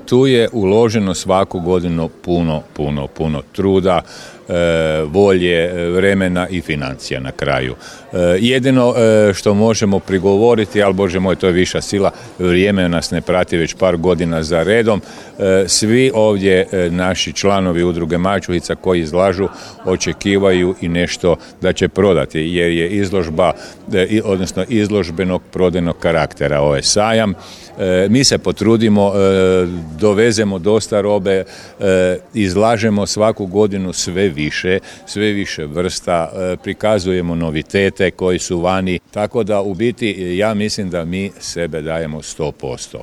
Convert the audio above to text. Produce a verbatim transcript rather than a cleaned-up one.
tu je uloženo svaku godinu puno, puno, puno truda, e, volje, vremena i financija na kraju. E, jedino e, što možemo prigovoriti, ali Bože moj, to je viša sila, vrijeme nas ne prati već par godina za redom. E, svi ovdje e, naši članovi udruge Mačuhica koji izlažu očekivaju i nešto da će prodati, jer je izložba, e, odnosno izložbenog prodajnog karaktera ovaj sajam. E, mi se potrudimo, e, dovezemo dosta robe, e, izlažemo svaku godinu sve više, sve više vrsta, e, prikazujemo novitete koji su vani, tako da u biti ja mislim da mi sebe dajemo sto posto.